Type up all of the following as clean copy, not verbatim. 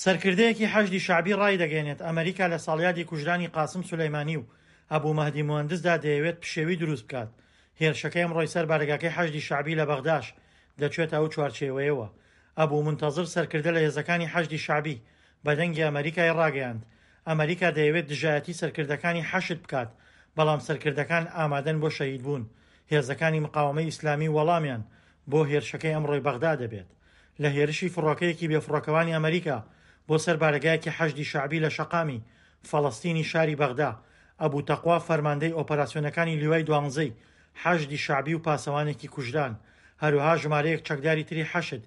سەرکردەیەکی حەشدی شەعبی ڕایدەگەیەنێت، ئەمەریکا لە ساڵیادی کوژرانی قاسم سولەیمانی و ئەبو مەهدی موهەندسدا دەیەوێت پشێوی دروست بکات، هێرشەکەی ئەمڕۆی سەر بارەگاکەی حەشدی شەعبی لە بەغداش دەچێتە ئەو چوارچێوەیەوە. ئەبو مونتەزر سەرکردە لە هێزەکانی حەشدی شەعبی بە دەنگی ئەمەریکای ڕاگەیاند، ئەمەریکا دەیەوێت دژایەتی سەرکردەکانی حەشد بکات، بەڵام سەرکردەکان ئامادەن بۆ شەهیدبوون، هێزەکانی مقاوەمەی ئیسلامی وەڵامیان بۆ هێرشەکەی ئەمڕۆی بەغدا دەبێت. لە هێرشی فڕۆکەیەکی بێفڕۆکەوانی ئەمەریکا بۆ سەر بارەگایەکی حەشدی شەعبی لە شەقامی فەڵەستینی شاری بەغدا، ئەبو تەقوا فەرماندەی ئۆپەراسیۆنەکانی لیوای دوانزەی حەشدی شەعبی و پاسەوانێکی کوژران، هەروەها ژمارەیەک چەکداری تری حەشد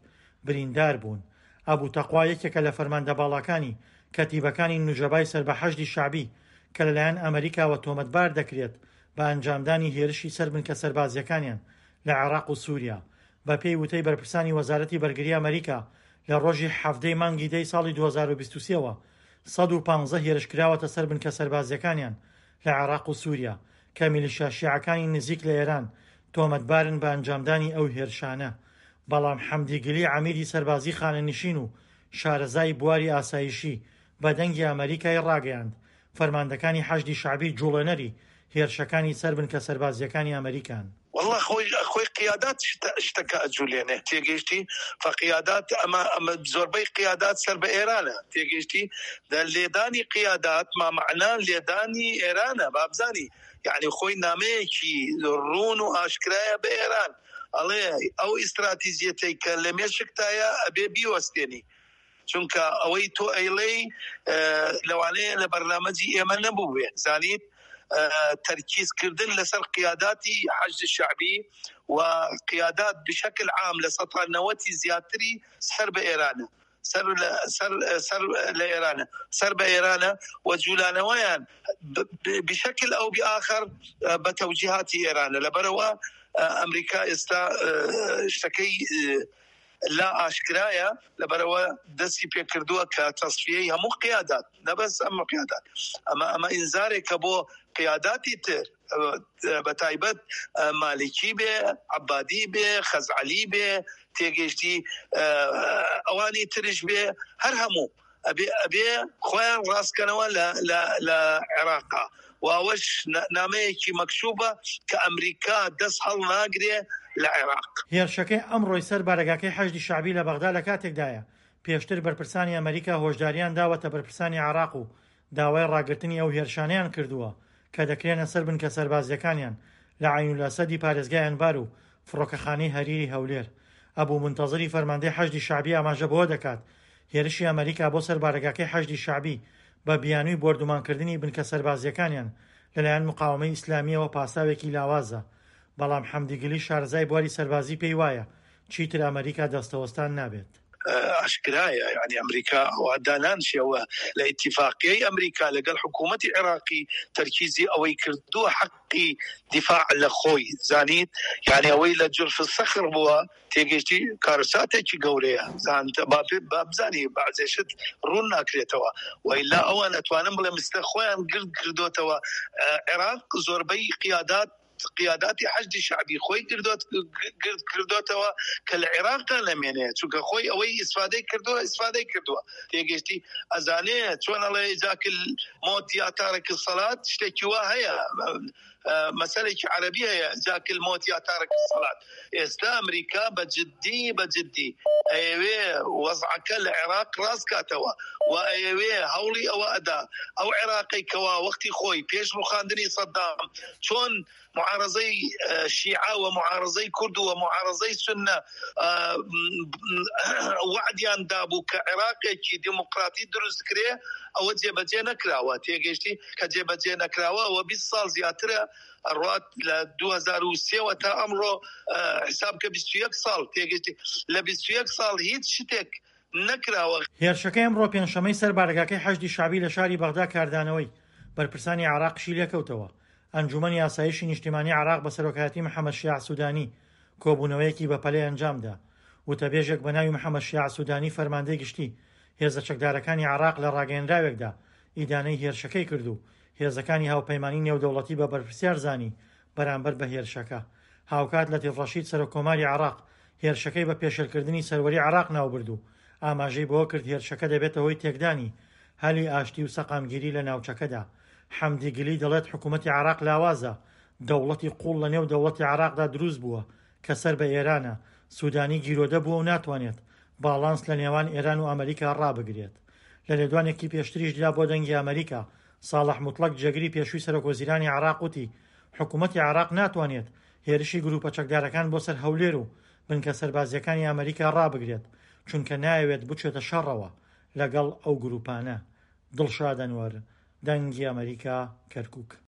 بریندار بوون. ئەبو تەقوا یەکێکە لە فەرماندە باڵاکانی کەتیبەکانی نوجەبای سەر بە حەشدی شەعبی کە لەلایەن ئەمەریکاوە تۆمەتبار دەکرێت بە ئەنجامدانی هێرشی سەر بنکە سەربازییەکانیان لە عێراق و سوریا. بەپێی وتەی بەرپرسانی وەزارەتی بەرگری ئەمەریکا، لە ڕۆژی حەڤدە ی مانگی دە ی ساڵی 2023 وە 115 هێرش کراوەتە سەر بنکە سەربازییەکانیان لە عێراق و سوریا، کە میلیشیا شیعەکانی نزیک لە ئێران تۆمەتبارن بە ئەنجامدانی ئەو هێرشانە. بەڵام حەمدی گلی عەمیدی سەربازی خانەنشین و شارەزای بواری ئاسایشی بە دەنگی ئەمەریکای ڕاگەیاند، فەرماندەکانی حەشدی شەعبی جوڵێنەری هێرشەکانی سەر بنکە سەربازییەکانی ئەمەریکان. وەڵا خۆی خۆی قیادات شتەکە ئەجولێنێ تێگەیشتی فقیادات ئەمە ئەمە زۆربەی قیادات سەر بە ئێرانە تێگەیشتی دە لێدانی قیادات ما مەعنا لێدانی ئێرانە بابزانی یعنی خۆی نامەیەکی ڕوون و ئاشکرایە بە ئێران ئەڵێ ئەو ئیستراتیجیەتەی کە لە مێشکتایە ئەبێ بیوەستێنی چونکە ئەوەی تۆ ئەیڵێی لەوانەیە لە بەرنامەجی ئێمە نەبووبێ زانیت تەرکیز کردن لەسەر قیاداتی حەشد شەعبی و قیادات بشکل عام لە سەتا نەوەتی زیاتری سەر بە ئێرانە سەر سەر سەر لە ئێرانە سەر بە ئێرانە و جولانەوەیان بشکل ئەو بآخر بە تەوجیهاتی ئێرانە لەبەرەوە ئەمریکا ئێستا شتەکەی لا ئاشکرایە لەبەرئەوە دەستی پێکردووە کە تەسفیەی هەموو قیادات نە بەس ئەم قیادات ئەمە ئەمە ئینزارێکە بۆ قیاداتی تر بە تایبەت مالکی بێ عبادی بێ خەزعەلی بێ تێگەیشتی ئەوانی ترش بێ هەر هەموو ئەبێ ئەبێ خۆیان ڕاستکەنەوە لە لە لە عێراقا و ئەوەش نامەیەکی مەکشوفە کە ئەمریکا دەست هەڵناگرێ لە عێراق. هێرشەکەی ئەمڕۆی سەر بارەگاکەی حەشدی شەعبی لە بەغدا لە کاتێکدایە، پێشتر بەرپرسانی ئەمریکا هۆشدارییان داوەتە بەرپرسانی عێراق و داوای ڕاگرتنی ئەو هێرشانەیان کردووە کە دەکرێنە سەر بنکە سەربازییەکانیان لە عەینولئەسەدی پارێزگای ئەنبار و فڕۆکەخانەی هەریری هەولێر. ئەبو مونتەزری فەرماندەی حەشدی شەعبی ئاماژە بەوە دەکات، هێرشی ئەمەریکا بۆ سەر بارەگاکەی حەشدی شەعبی بە بیانووی بۆردومانکردنی بنکە سەربازییەکانیان لەلایەن مقاوەمەی ئیسلامییەوە پاساوێکی لاوازە، بەڵام حەمدی گلی شارەزای بواری سەربازی پێی وایە چیتر ئەمەریکا دەستەوەستان نابێت. ئاشکرایە یانی ئەمریکا ئەوە دانانشێ و لە ئیتیفاقیەی ئەمریکا لەگەڵ حکوومەتی عێراقی تەرکیزی ئەوەی کردووە حەقی دیفاع لە خۆی زانیت یانی ئەوەی لە جرف سەخر بووە تێگەیشتی کارەساتێکی گەورەیە زانت با بزانی بەعزێ شت ڕوون ناکرێتەوە و ئیلا ئەوان ئەتوانم بڵێم ئیستا خۆیان گرد کردۆتەوە عێراق زۆربەی قیادات قیاداتی حەشدی شەعبی خۆی گردۆت گرد کردۆتەوە کە لە عێراقدا نەمێنێ چونکە خۆی ئەوەی ئیسفادەی کردووە ئیسفادەی کردووە تێگەشتی ئەزانێ چۆن ئەڵێ جاکل مۆت یا تارک الصلات شتێکی وا هەیە مەسەلێکی عەرەبی هەیە جاکل مۆت یا تارک الصلات ئێستا ئەمریکا بە جدی بە جدی ئەیەوێ وەزعەکە لە عێراق ڕاست کاتەوە و ئەیەوێ هەوڵی ئەوە ئەدا ئەو عێراقەی کەوا وەختی خۆی پێش ڕوخاندنی سەدام چۆن معارەزەی شیعە و معارەزەی کورد و معارەزەی سوننە وەعدیان دابوو کە عێراقێکی دیموکراتی دروست کرێ ئەوە جێبەجێ نەکراوە تێگەیشتی کە جێبەجێ نەکراوە ئەوە 20 ساڵ زیاترە ئەڕوات لە 2023 وە تا ئەمڕۆ حساب کە 21 ساڵ تێگەیشتی لە 21 ساڵ هیچ شتێک نەکراوە. هێرشەکەی ئەمڕۆ پێنجشەممەی سەر بارەگاکەی حەشدی شەعبی لە شاری بەغدا کاردانەوەی بەرپرسانی عێراقیشی لێکەوتەوە. ئەنجوومەنی ئاسایشی نیشتیمانی عێراق بە سەرۆکایەتی محەمەد شیاع سودانی کۆبوونەوەیەکی بەپەلەی ئەنجامدا. وتەبێژێک بە ناوی محەمەد شیاع سودانی فەرماندەی گشتی هێزە چەکدارەکانی عێراق لە ڕاگەیەنراوێکدا ئیدانەی هێرشەکەی کرد و هێزەکانی هاوپەیمانی نێودەوڵەتی بە بەرپرسیار زانی بەرامبەر بە هێرشەکە. هاوکات لەتیف ڕەشید سەرۆککۆماری عێراق هێرشەکەی بە پێشێلکردنی سەروەری عێراق ناوبرد و ئاماژەی بەوە کرد هێرشەکە دەبێتە هۆی تێکدانی هەلی ئاشتی و سەقامگیری لە ناوچەکەدا. حەمدی گلی دەڵێت حکوومەتی عێراق لاوازە، دەوڵەتی قووڵ لەنێو دەوڵەتی عێراقدا دروست بووە کە سەر بە ئێرانە، سوودانی گیرۆدە بووە و ناتوانێت باڵانس لە نێوان ئێران و ئەمریکا ڕابگرێت. لە لێدوانێکی پێشتریشدا بۆ دەنگی ئەمریکا، ساڵح موتڵەگ جێگری پێشووی سەرۆکوەزیرانی عێراق وتی، حکوومەتی عێراق ناتوانێت هێرشی گرووپە چەکدارەکان بۆ سەر هەولێر و بنکە سەربازییەکانی ئەمریکا ڕابگرێت، چونکە نایەوێت بچێتە شەڕەوە لەگەڵ ئەو گرووپانە. دڵشاد ئەنوەر، دەنگی ئەمریکا، کەرکووک.